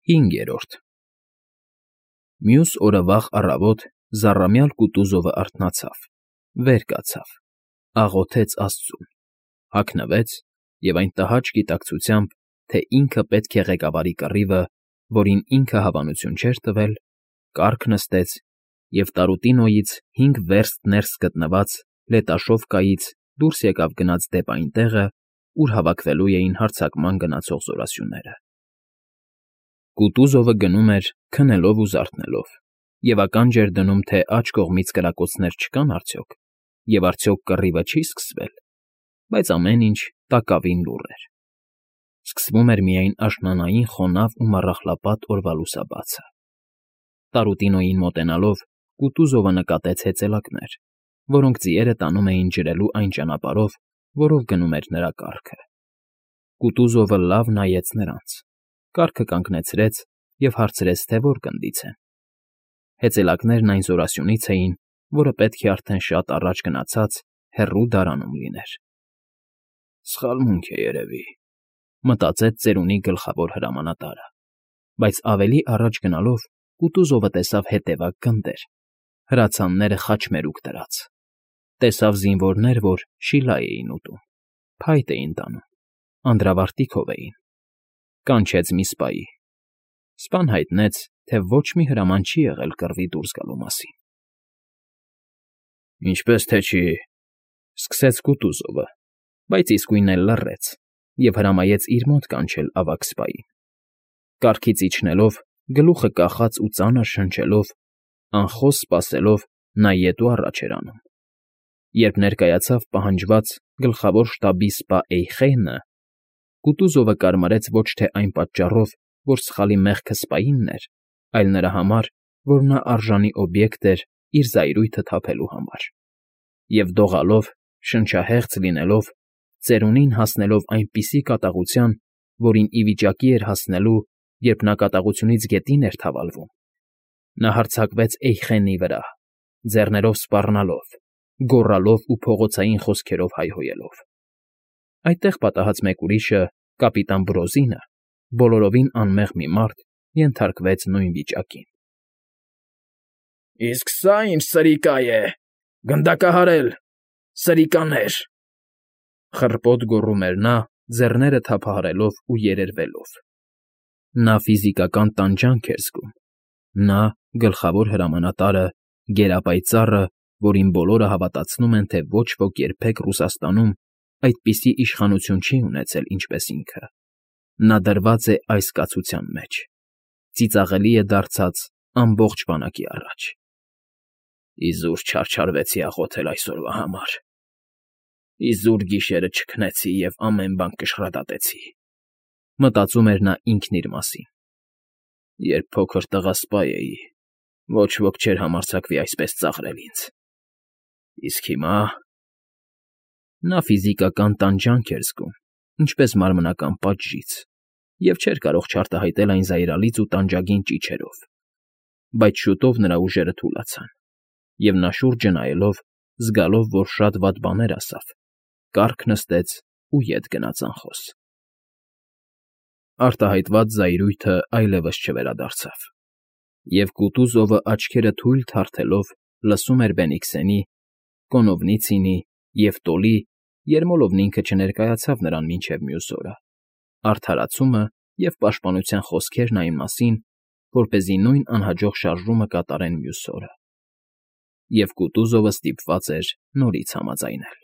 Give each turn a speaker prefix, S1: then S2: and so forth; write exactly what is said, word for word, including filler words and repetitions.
S1: Հինգերորդ Մյուս օրը վաղ առավոտ զառամյալ Կուտուզովը արթնացավ, վեր կացավ, աղոթեց աստծուն, հագնվեց և այն տհաճ գիտակցությամբ, թե ինքը պետք է ղեկավարի կռիվը, որին ինքը հավանություն չէր տվել, կառք նստեց և Տարուտինոյից հինգ վերստ ներս գտնված Լետաշովկայից դուրս եկավ գնաց դեպ այն տեղը, ուր հավաքվելու էին հարձակման գնացող զորասյուները։ Կուտուզովը գնում էր քնելով ու զարթնելով և ականջ էր դնում, թե աջ կողմից կրակոցներ չկան արդյոք, և արդյոք կռիվը չի՞ սկսվել, բայց ամեն ինչ տակավին լուռ էր. սկսվում էր միայն աշնանային խոնավ ու մառախլապատ օրվա լուսաբացը։ Տարուտինոյին մոտենալով՝ Կուտուզովը նկատեց հեծելակներ, որոնք ձիերը տանում էին ջրելու այն ճանապարհով, որով գնում էր նրա կառքը։ Կուտուզովը լավ նայեց նրանց, կառքը կանգնեցրեց և հարցրեց, թե որ գնդից են։ Հեծելակներն այն զորասյունից էին, որը պետք է արդեն շատ առաջ գնացած հեռու դարանում լիներ։ «Սխալմունք է, երևի,֊ մտածեց ծերունի գլխավոր հրամանատարը, բայց ավելի առաջ գնալով Կուտուզովը տեսավ հետևակ գնդեր, հրացանները խաչմերուկ դրած, տեսավ զինվորներ, որ շիլա էին ուտում, փայտ էին տանում, անդրավարտիքով էին։ Կանչեց մի սպայի։ Սպան հայտնեց, թե ոչ մի հրաման չի եղել կռվի դուրս գալու մասին։ ֊ Ինչպես թե չի,֊ սկսեց Կուտուզովը, բայց իսկույն էլ լռեց և հրամայեց իր մոտ կանչել ավագ սպային։ Կառքից իջնելով, գլուխը կախած ու ծանր շնչելով, անխոս սպասելով, նա ետ ու առաջ էր անում։ Երբ ներկայացավ պահանջված գլխավոր շտաբի սպա Էյխենը, Կուտուզովը կարմարեց ոչ թե այն պատճառով, որ սխալի մեղքը սպայինն էր, այլ նրա համար, որ նա արժանի օբյեկտ էր իր զայրույթը թափելու համար, և դողալով, շնչահեղձ լինելով, ծերունին հասնելով այնպիսի կատաղության, որին ի վիճակի էր հասնելու, երբ նա կատաղությունից գետին էր թավալվում, նա հարձակվեց Էյխենի վրա, ձեռներով սպառնալով, գոռալով ու փողոցային խոսքերով հայհոյելով։ Այդտեղ պատահած մեկ ուրիշը, կապիտան Բրոզինը, բոլորովին անմեղ մի մարդ, ենթարկվեց նույն վիճակին։ ֊ Իսկ սա ի՞նչ սրիկա է, գնդակահարել, սրիկաներ,֊ խռպոտ գոռում էր նա, ձեռները թափահարելով ու երերվելով։ Նա ֆիզիկական տանջանք էր զգում։ Նա՝ գլխավոր հրամանատարը, գերապայծառը, որին բոլորը հավատացնում են, թե ոչ ոք երբեք Ռուսաստանում այդպիսի իշխանություն չի ունեցել, ինչպես ինքը, նա դրված է այս կացության մեջ, ծիծաղելի է դարձած ամբողջ բանակի առաջ։ Իզուր չարչարվեցի աղոթել այսօրվա համար, իզուր գիշերը չքնեցի և ամեն բան կշռադատեցի,֊ մտածում էր նա ինքն իր մասին։ Երբ փոքր տղա սպա էի, ոչ ոք չէր համարձակվի այսպես ծաղրել ինձ, իսկ հիմա… Նա ֆիզիկական տանջանք էր զգում, ինչպես մարմնական պատժից, և չէր կարող չարտահայտել այն զայրալից ու տանջագին ճիչերով, բայց շուտով նրա ուժերը թուլացան, և նա շուրջը նայելով, զգալով, որ շատ վատ բաներ ասավ, կառք նստեց ու ետ գնաց անխոս։ Արտահայտված զայրույթը այլևս չվերադարձավ, և Կուտուզովը աչքերը թույլ թարթելով լսում էր Բենիքսենի, Կոնովնիցինի և Տոլի (Երմոլովն ինքը չներկայացավ նրան մինչև մյուս օրը) արդարացումը և պաշտպանության խոսքերն այն մասին, որպեսզի նույն անհաջող շարժումը կատարեն մյուս օրը, և Կուտուզովը ստիպված էր նորից համաձայնել։